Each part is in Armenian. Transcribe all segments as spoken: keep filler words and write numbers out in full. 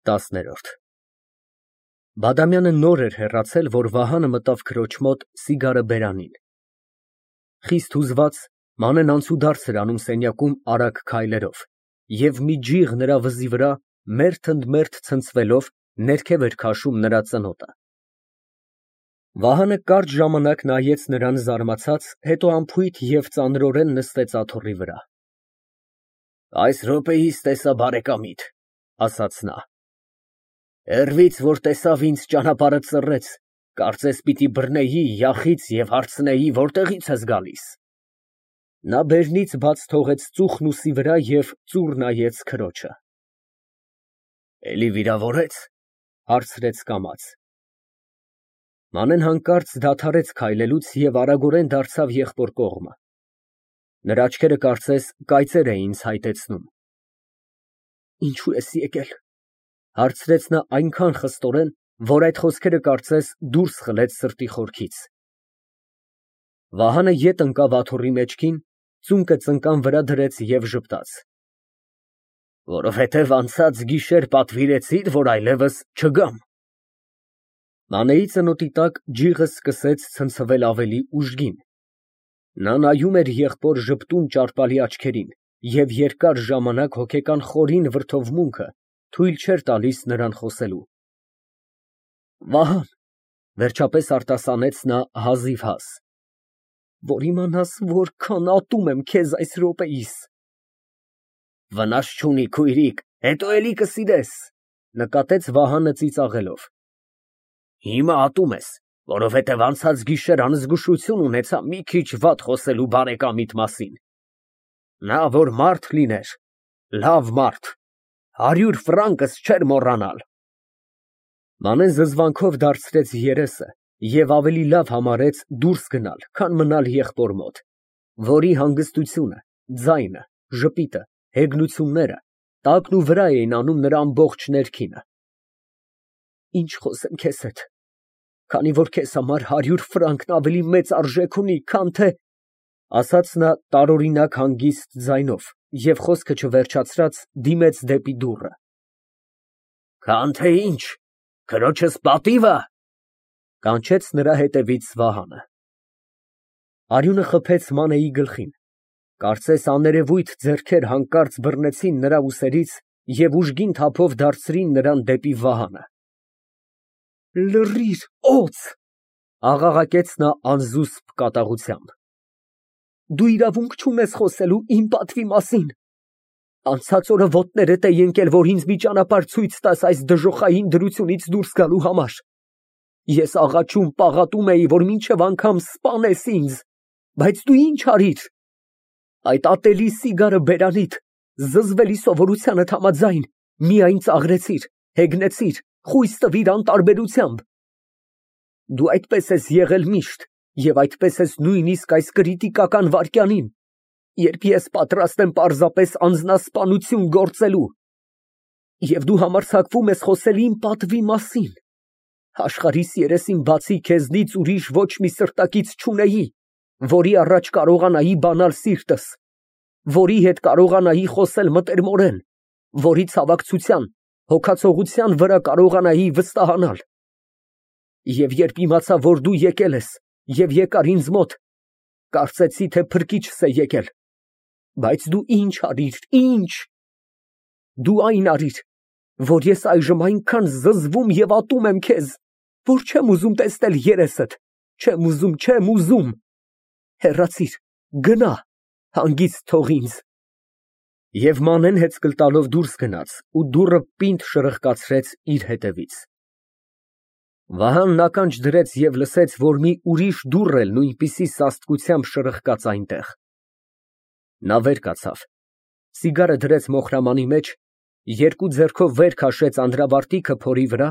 ՏԱՍՆԵՐՈՐԴ Բադամյանը նոր էր հեռացել, որ Վահանը մտավ քրոջ մոտ սիգարը բերանին։ Խիստ հուզված, Մանեն անցուդարձ էր անում սենյակում արագ քայլերով, և մի ջիղ նրա վզի վրա մերթ ընդ մերթ ցնցվելով ներքև էր քաշում նրա ծնոտը։ Վահանը կարճ ժամանակ նայեց նրան զարմացած, հետո անփույթ և ծանրորեն նստեց աթոռի վրա։ Այս րոպեիս տեսա բարեկամիդ, ասաց նա։ Հեռվից, որ տեսավ ինձ, ճանապարհը ծռեց, կարծես պիտի բռնեի յախից և հարցնեի, որտեղից ես գալիս։ Նա բերնից բաց թողեց ծուխն ուսի վրա և ծուռ նայեց քրոջը։ Էլի վիրավորե՞ց, հարցրեց կամաց։ Մանեն հանկարծ դադարեց քայլելուց և արագորեն դարձավ եղբոր կողմը։ Նրա աչքերը կարծես կայծեր էին ցայտեցնում։ Ինչո՞ւ ես եկել, հարցրեց նա այնքան խստորեն, որ այդ խոսքերը կարծես դուրս խլեց սրտի խորքից։ Վահանը ետ ընկավ աթոռի մեջքին, ծունկը ծնկան վրա դրեց և ժպտաց։ Որովհետև անցած գիշեր պատվիրեցի՞ր, որ այլևս չգամ։ Մանեի ծնոտի տակ ջիղը սկսեց ցնցվել ավելի ուժգին։ Նա նայում էր եղբոր ժպտուն ճարպալի աչքերին, և երկար ժամանակ հոգեկան խորին վրդովմունքը թույլ չէր տալիս նրան խոսելու։ Վահան, վերջապես արտասանեց նա հազիվհազ, որ իմանաս որքան ատում եմ քեզ այս րոպեիս։ Վնաս չունի, քույրիկ, հետո էլի կսիրես, նկատեց Վահանը ծիծաղելով։ Հիմա ատում ես, որովհետև անցած գիշեր անզգուշություն ունեցա մի քիչ վատ խոսելու բարեկամիդ մասին։ Նա որ մարդ լիներ, լավ մարդ, հարյուր ֆրանկս չէր մոռանալ։ Մանեն զզվանքով դարձրեց երեսը և ավելի լավ համարեց դուրս գնալ, քան մնալ եղբոր մոտ, որի հանգստությունը, ձայնը, ժպիտը, հեգնությունները տակն ու վրա էին անում նրա ամբողջ ներքինը։ Ինչ խոսեմ քեզ հետ, քանի որ քեզ համար հարյուր ֆրանկն ավելի մեծ արժեք ունի, քան թե… ասաց նա տարօրինակ հանգիստ ձայնով և խոսքը չվերջացրած դիմեց դեպի դուռը։ Քան թե ինչ, քրոջս պատիվը… կանչեց նրա հետևից Վահանը։ Արյունը խփեց Մանեի գլխին, կարծես աներևույթ ձեռքեր հանկարծ բռնեցին նրա ուսերից և ուժգին թափով դարձրին նրան դեպի Վահանը։ Լռիր, օձ, աղաղակեց նա անզուսպ կատաղությամբ։ Դու իրավունք չունես խոսելու իմ պատվի մասին։ Անցած օրը ոտներդ էի ընկել, որ ինձ մի ճանապարհ ցույց տաս այս դժոխային դրությունից դուրս գալու համար։ Ես աղաչում, պաղատում էի, որ մինչև անգամ սպանես ինձ, բայց դու ինչ արիր։ Այդ ատելի սիգարը բերանիդ, զզվելի սովորությանդ համաձայն, միայն ծաղրեցիր, հեգնեցիր, խույս տվիր անտարբերությամբ։ Դու այդպես ես եղել միշտ և այդպես ես նույնիսկ այս կրիտիկական վայրկյանին, երբ ես պատրաստ եմ պարզապես անձնասպանություն գործելու։ Եվ դու համարձակվում ես խոսել իմ պատվի մասին։ Աշխարհիս երեսին բացի քեզնից ուրիշ ոչ մի սրտակից չունեի, որի առաջ կարողանայի բանալ սիրտս, որի հետ կարողանայի խոսել մտերմորեն, որի ցավակցության, հոգացողության վրա կարողանայի վստահանալ։ Եվ երբ իմացա, որ դու եկել ես և եկար ինձ մոտ, կարծեցի, թե փրկիչս է եկել, բայց դու ինչ արիր, ինչ… Դու այն արիր, որ ես այժմ այնքան զզվում և ատում եմ քեզ, որ չեմ ուզում տեսնել երեսդ, չեմ ուզում, չեմ ուզում… Հեռացիր, գնա, հանգիստ թող ինձ… Եվ Մանեն հեծկլ տալով դուրս գնաց ու դուռը պինդ շրխկացրեց իր հետևից։ Վահանն ականջ դրեց և լսեց, որ մի ուրիշ դուռ էլ նույնպիսի սաստկությամբ շրխկաց այնտեղ։ Նա վեր կացավ, սիգարը դրեց մոխրամանի մեջ, երկու ձեռքով վեր քաշեց անդրավարտիքը փորի վրա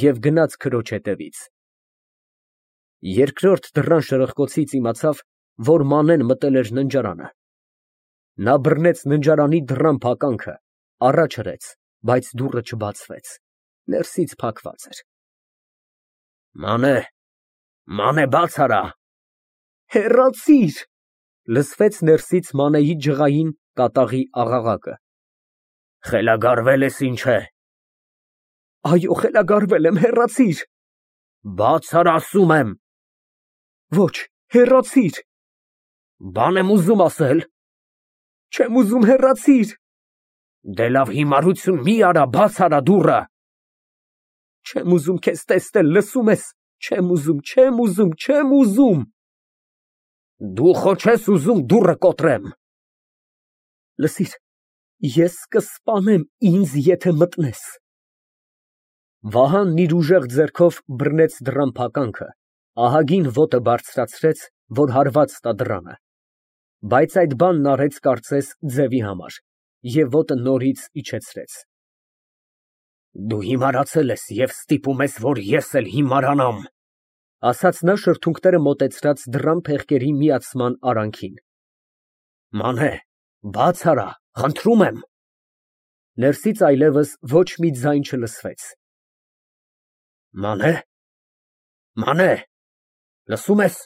և գնաց քրոջ հետևից։ Երկրորդ դռան շրխկոցից իմացավ, որ Մանեն մտել էր ննջարանը։ Նա բռնեց ննջարանի դռան փականքը, առաջ հրեց, բայց դուռը չբացվեց, ներսից փակված էր։ Մանե, Մանե, բաց արա… Հեռացիր… լսվեց ներսից Մանեի ջղային կատաղի աղաղակը։ Խելագարվել ես, ինչ է… Այո, խելագարվել եմ, հեռացիր։ Բաց ար, ասում եմ։ Ոչ, հեռացիր։ Բան եմ ուզում ասել։ Չեմ ուզում, հեռացիր։ Դե լավ, հիմարություն մի արա, բաց արա դուռը։ Չեմ ուզում քեզ տեսնել, լսում ես։ Չեմ ուզում, չեմ ուզում, չեմ ուզում։ Դու խո չես ուզում դուռը կոտրեմ։ Լսիր, ես կսպանեմ ինձ, եթե մտնես։ Վահանն իր ուժեղ ձեռքով բռնեց դռան փականքը, ահագին ոտը բարձրացրեց, որ հարված տա դռանը, բայց այդ բանն արեց կարծես ձևի համար և ոտը նորից իջեցրեց։ Դու հիմարացել ես և ստիպում ես, որ ես էլ հիմարանամ, ասաց նա շրթունքները մոտեցրած դռան փեղկերի միացման արանքին։ Մանե, բաց արա, խնդրում եմ։ Ներսից այլևս ոչ մի ձայն չլսվեց։ Մանե, Մանե, լսում ես։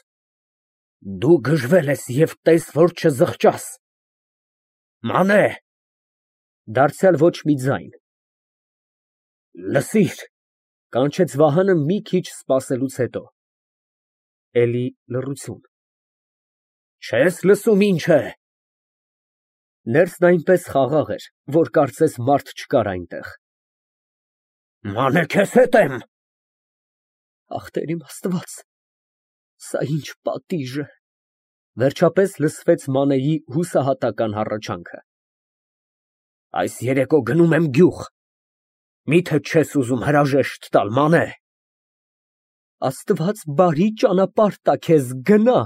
Դու գժվել ես և տես, որ չզղջաս։ Մանե։ Դարձյալ ոչ մի ձայն։ Լսիր, կանչեց Վահանը մի քիչ սպասելուց հետո։ Էլի լռություն։ Չես լսում ինչ է։ Ներսն այնպես խաղաղ էր, որ կարծես մարդ չկար այնտեղ։ Մանե, քեզ հետ եմ։ Ախ, Տեր իմ Աստված, սա ինչ պատիժ է։ Վերջապես լսվեց Մանեի հուսահատական հառաչանքը։ Այս երեկո գնում եմ գյուղ։ Միթե չես ուզում հրաժեշտ տալ, Մանե։ Աստված բարի ճանապարհ տա քեզ, գնա։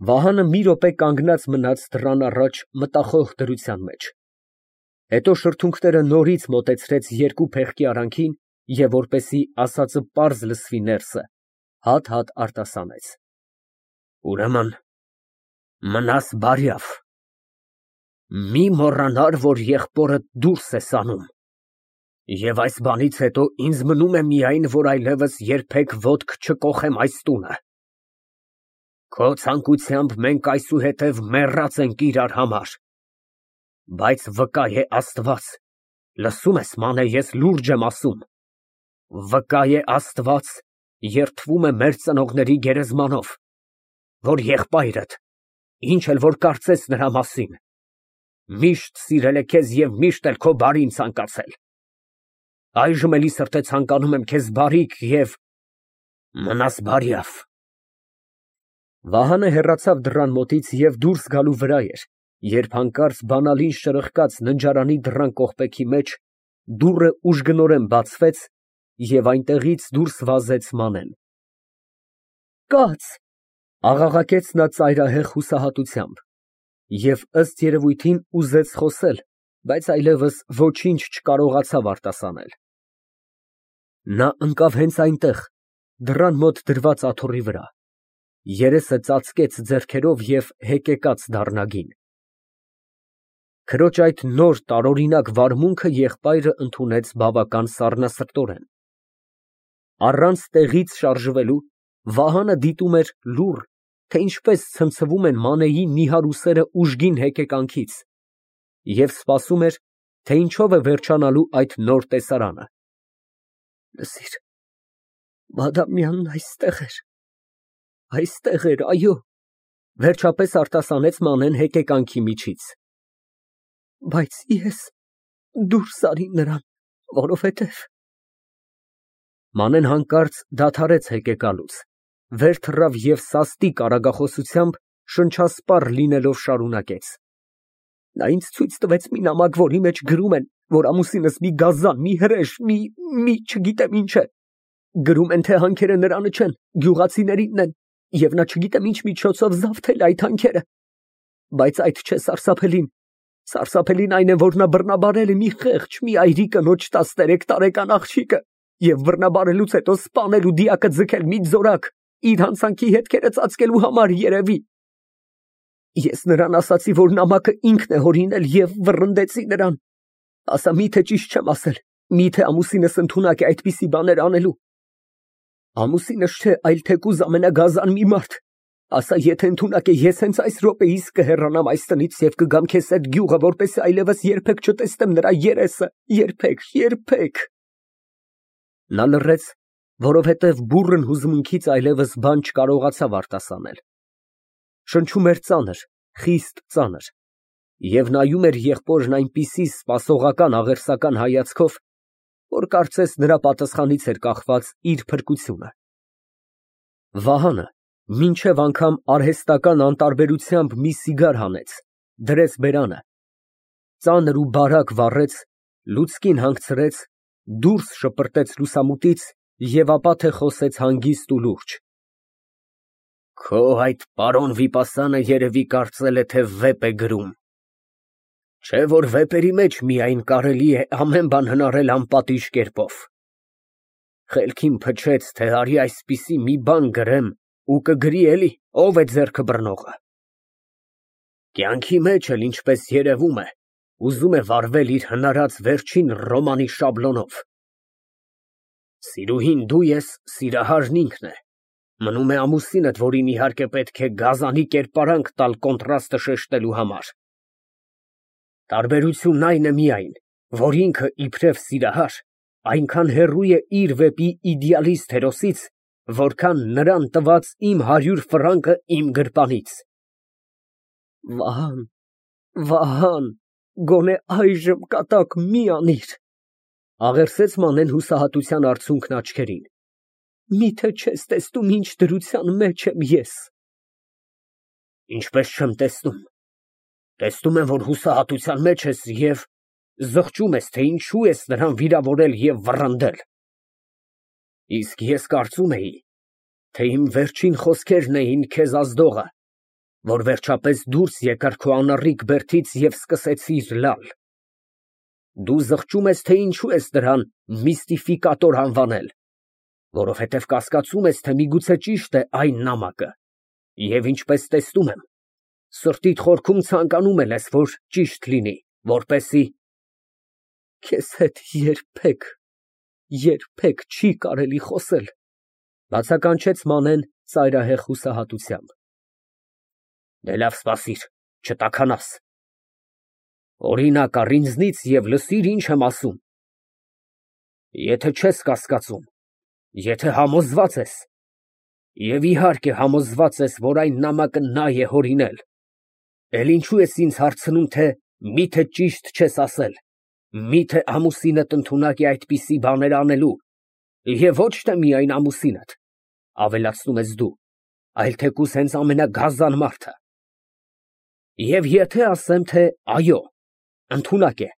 Վահանը մի րոպե կանգնած մնաց դռան առաջ մտախոհ դրության մեջ, հետո շրթունքները նորից մոտեցրեց երկու փեղկի արանքին և որպեսզի ասածը պարզ լսվի ներսը, հատ֊հատ արտասանեց. Ուրեմն մնաս բարյավ։ Մի մոռանար, որ եղբորդ դուրս ես անում։ Եվ այս բանից հետո ինձ մնում է միայն, որ այլևս երբեք ոտք չկոխեմ այս տունը։ Քո ցանկությամբ մենք այսուհետև մեռած ենք իրար համար։ Բայց վկա է Աստված, լսում ես, Մանե, ես լուրջ եմ ասում, վկա է Աստված, երդվում է մեր ծնողների գերեզմանով, որ եղբայրդ, ինչ էլ որ կարծես նրա մասին, միշտ սիրել է քեզ և միշտ էլ քո բարին ցանկացել։ Այժմ էլի սրտե ցանկանում եմ քեզ բարիք և մնաս բարյավ։ Վահանը հեռացավ դռան մոտից և դուրս գալու վրա էր, երբ հանկարծ բանալին շրխկաց ննջարանի դռան կողպեքի մեջ, դուռը ուժգնորեն բացվեց և այնտեղից դուրս վազեց Մանեն։ Կաց, աղաղակեց նա ծայրահեղ հուսահատությամբ և ըստ երևույթին ուզեց խոսել, բայց այլևս ոչինչ չկարողացավ արտասանել։ Նա ընկավ հենց այնտեղ, դռան մոտ դրված աթոռի վրա, երեսը ծածկեց ձեռքերով և հեկեկաց դառնագին։ Քրոջ այդ նոր տարօրինակ վարմունքը եղբայրը ընդունեց բավական սառնասրտորեն։ Առանց տեղից շարժվելու Վահանը դիտում էր լուռ, թե ինչպես ցնցվում են Մանեի նիհար ուսերը ուժգին հեկեկանքից և սպասում էր, թե ինչով է վերջանալու այդ նոր տեսարանը։ Լսիր, Բադամյանն այստեղ էր, այստեղ էր, այո, վերջապես արտասանեց Մանեն հեկեկանքի միջից։ Բայց ես դուրս արի նրան, որովհետև… Մանեն հանկարծ դադարեց հեկեկալուց, վեր թռավ և սաստիկ արագախոսությամբ շնչասպառ լինելով շարունակեց. Նա ինձ ցույց տվեց մի նամակ, որի մեջ գրում են, որ ամուսինս մի գազան, մի հրեշ, մի… մի… չգիտեմ ինչ է։ Գրում են, թե հանքերը նրանը չեն, գյուղացիներինն են, և նա չգիտեմ ինչ միջոցով զավթել է այդ հանքերը։ Բայց այդ չէ սարսափելին, սարսափելին այն է, որ նա բռնաբարել է մի խեղճ, մի այրի կնոջ տասներեք տարեկան աղջիկը և բռնաբարելուց հետո սպանել ու դիակը ձգել մի ձորակ, իր հանցանքի հետքերը ծածկելու համար, երևի։ Ես նրան ասացի, որ նամակը ինքն է հորինել և վռնդեցի նրան։ Ասա, միթե ճիշտ չեմ ասել, միթե ամուսինս ընդունակ է այդպիսի բաներ անելու։ Ամուսինս չէ, այլ թեկուզ ամենագազան մի մարդ։ Ասա, եթե ընդունակ է, ես հենց այս րոպեիս կհեռանամ այս տնից և կգամ քեզ հետ գյուղը, որպեսզի այլևս երբեք չտեսնեմ նրա երեսը, երբեք, երբեք։ Նա լռեց, որովհետև բուռն հուզմունքից այլևս բան չկարողացավ արտասանել։ Շնչում էր ծանր, խիստ ծանր, և նայում էր եղբորն այնպիսի սպասողական աղերսական հայացքով, որ կարծես նրա պատասխանից էր կախված իր փրկությունը։ Վահանը մինչև անգամ արհեստական անտարբերությամբ մի սիգար հանեց, դրեց բերանը, ծանր ու բարակ վառեց, լուցկին հանգցրեց, դուրս շպրտեց լուսամուտից և ապա թե խոսեց հանգիստ ու լուրջ. Քո այդ պարոն վիպասանը երևի կարծել է, թե վեպ է գրում, չէ՞ որ վեպերի մեջ միայն կարելի է ամեն բան հնարել անպատիժ կերպով։ Խելքին փչեց, թե արի այսպիսի մի բան գրեմ ու կգրի էլի, ով է ձեռքը բռնողը։ Կյանքի մեջ էլ, ինչպես երևում է, ուզում է վարվել իր հնարած վերջին ռոմանի շաբլոնով։ Սիրուհին դու ես, սիրահարն ինքն է, մնում է ամուսինդ, որին իհարկե պետք է գազանի կերպարանք տալ կոնտրաստը շեշտելու համար։ Տարբերությունն այն է միայն, որ ինքը իբրև սիրահար այնքան հեռու է իր վեպի իդեալիստ հերոսից, որքան նրան տված իմ հարյուր ֆրանկը իմ գրպանից։ Վահան, Վահան, գոնե այժմ կատակ մի անիր, աղերսեց Մանեն հուսահատության արցունքն աչքերին, միթե չես տեսնում ինչ դրության մեջ եմ ես։ Ինչպես չեմ տեսնում, տեսնում եմ, որ հուսահատության մեջ ես և զղջում ես, թե ինչու ես նրան վիրավորել և վռնդել։ Իսկ ես կարծում էի, թե իմ վերջին խոսքերն էին քեզ ազդողը, որ վերջապես դուրս եկար քո անառիկ բերդից և սկսեցիր լալ։ Դու զղջում ես, թե ինչու ես նրան միստիֆիկատոր անվանել, որովհետև կասկածում ես, թե միգուցե ճիշտ է այն նամակը, և ինչպես տեսնում եմ, սրտիդ խորքում ցանկանում էլ ես, որ ճիշտ լինի, որպեսզի… Քեզ հետ երբեք, երբեք չի կարելի խոսել, բացականչեց Մանեն ծայրահեղ հուսահատությամբ։ Դե լավ, սպասիր, չտաքանաս։ Օրինակ առ ինձնից և լսիր, ինչ եմ ասում։ Եթե չես կասկածում, եթե համոզված ես, և իհարկե համոզված ես, որ այն նամակը նա է հորինել, էլ ինչու ես ինձ հարցնում, թե մի՞թե ճիշտ չես ասել, մի՞թե ամուսինդ ընդունակ է այդպիսի բաներ անելու, և ոչ թե միայն ամուսինդ, ավելացնում ես դու, այլ թեկուզ հենց ամենագազան մարդը։ Եվ եթե ասեմ, թե այո, ընդունակ է,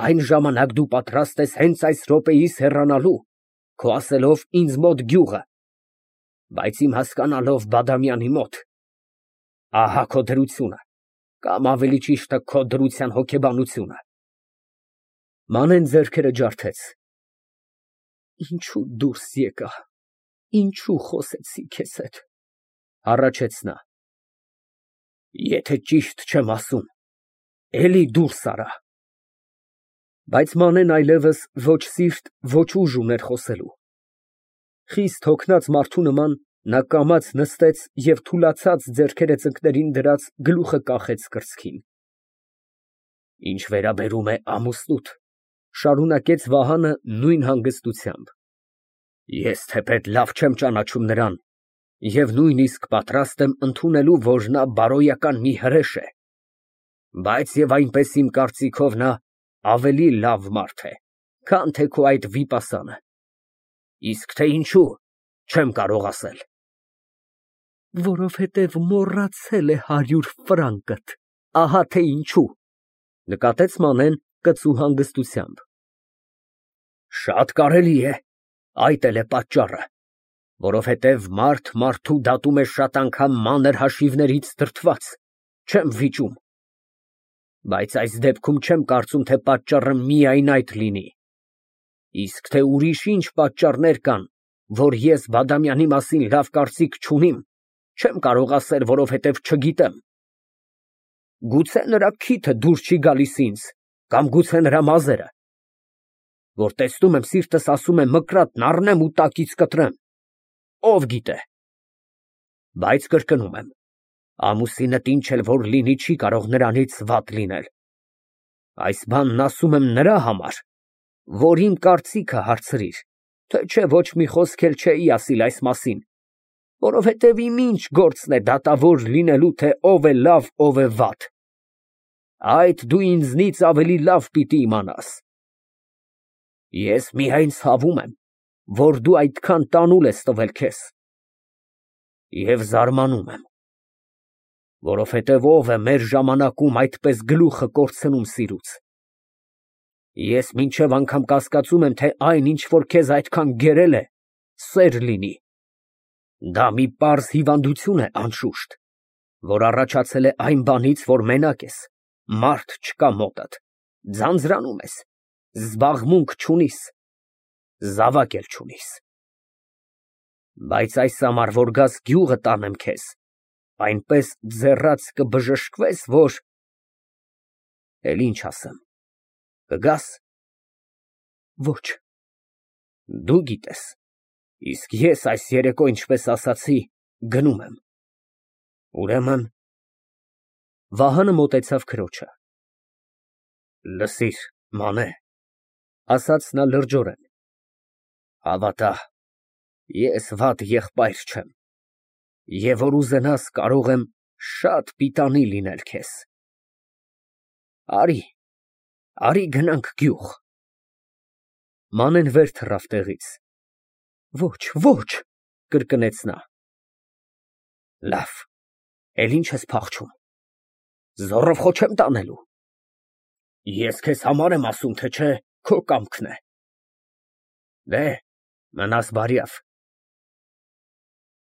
այն ժամանակ դու պատրաստ ես հենց այս րոպեիս հեռանալու, քո ասելով ինձ մոտ գյուղը, բայց իմ հասկանալով Բադամյանի մոտ։ Ահա քո դրությունը, կամ ավելի ճիշտը քո դրության հոգեբանությունը։ Մանեն ձեռքերը ջարդեց։ Ինչու դուրս եկա, ինչու խոսեցի քեզ հետ, հառաչեց նա։ Եթե ճիշտ չեմ ասում, էլի դուրս արա։ Բայց Մանեն այլևս ոչ սիրտ, ոչ ուժ ուներ խոսելու։ Խիստ հոգնած մարդու նման նա կամաց նստեց և թուլացած ձեռքերը ծնկներին դրած գլուխը կախեց կրծքին։ Ինչ վերաբերում է ամուսնուդ, շարունակեց Վահանը նույն հանգստությամբ, ես թեպետ լավ չեմ ճանաչում նրան և նույնիսկ պատրաստ եմ ընդունելու, որ նա բարոյական մի հրեշ է, բայց և այնպես իմ կարծիքով նա ավելի լավ մարդ է, քան թե քո այդ վիպասանը, իսկ թե ինչու, չեմ կարող ասել։ Որովհետև մոռացել է հարյուր ֆրանկդ, ահա թե ինչու, նկատեց Մանեն կծու հանգստությամբ։ Շատ կարելի է, այդ էլ է պատճառը, որովհետև մարդ մարդու դատում է շատ անգամ մանր հաշիվներից դրդված, չեմ վիճում։ Բայց այս դեպքում չեմ կարծում, թե պատճառը միայն այդ լինի, իսկ թե ուրիշ ինչ պատճառներ կան, որ ես Բադամյանի մասին լավ կարծիք չունիմ, չեմ կարող ասել, որովհետև չգիտեմ։ Գուցե նրա քիթը դուր չի գալիս ինձ, կամ գուցե նրա մազերը, որ տեսնում եմ, սիրտս ասում է մկրատն առնեմ ու տակից կտրեմ, ով գիտե։ Բայց կրկնում եմ, ամուսինդ ինչ էլ որ լինի, չի կարող նրանից վատ լինել։ Այս բանն ասում եմ նրա համար, որ իմ կարծիքը հարցրիր թե չէ ոչ մի խոսք էլ չէի ասիլ այս մասին, որովհետև իմ ինչ գործն է դատավոր լինելու, թե ով է լավ, ով է վատ. այդ դու ինձնից ավելի լավ պիտի իմանաս։ Ես միայն ցավում եմ, որ դու այդքան տանուլ ես տվել քեզ, և զարմանում եմ, որովհետև ով է մեր ժամանակում այդպես գլուխը կորցնում սիրուց։ Ես մինչև անգամ կասկածում եմ, թե այն, ինչ որ քեզ այդքան գերել է, սեր լինի։ Դա մի պարզ հիվանդություն է, անշուշտ, որ առաջացել է այն բանից, որ մենակ ես, մարդ չկա մոտդ, ձանձրանում ես, զբաղմունք չունիս, զավակ էլ չունիս։ Բայց այս համար, որ գաս գյուղը տանեմ քեզ, այնպես ձեռաց կբժշկվես, որ… Էլ ինչ ասեմ, կգաս։ Ոչ։ Դու գիտես, իսկ ես այս երեկո, ինչպես ասացի, գնում եմ։ Ուրեմն… Վահանը մոտեցավ քրոջը։ Լսիր, Մանե, ասաց նա լրջորեն, հավատա, ես վատ եղբայր չեմ, և որ ուզենաս, կարող եմ շատ պիտանի լինել քեզ։ Արի, արի գնանք գյուղ։ Մանեն վեր թռավ տեղից։ Ոչ, ոչ, կրկնեց նա։ Լավ, էլ ինչ ես փախչում, զոռով խո չեմ տանելու։ Ես քեզ համար եմ ասում, թե չէ քո կամքն է։ Դե, մնաս բարյավ։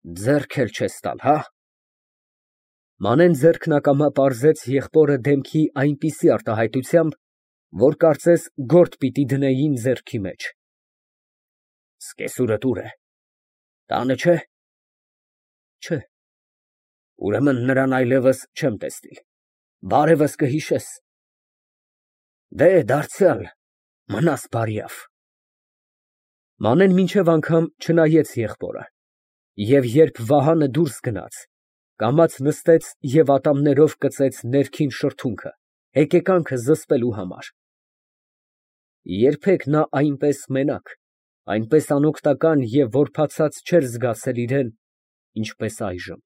Ձեռք էլ չես տալ, հա։ Մանեն ձեռքն ակամա պարզեց եղբորը դեմքի այնպիսի արտահայտությամբ, որ կարծես գործ պիտի դնեին ձեռքի մեջ։ Սկեսուրդ ուր է, տանը չէ։ Չէ։ Ուրեմն նրան այլևս չեմ տեսնիլ, բարևս կհիշես։ Դե, դարձյալ, մնաս բարյավ։ Մանեն մինչև անգամ չնայեց եղբորը, և երբ Վահանը դուրս գնաց, կամաց նստեց և ատամներով կծեց ներքին շրթունքը, հեկեկանքը զսպելու համար։ Երբեք նա այնպես մենակ, այնպես անօգնական և որբացած չէր զգացել իրան, ինչպես այժմ։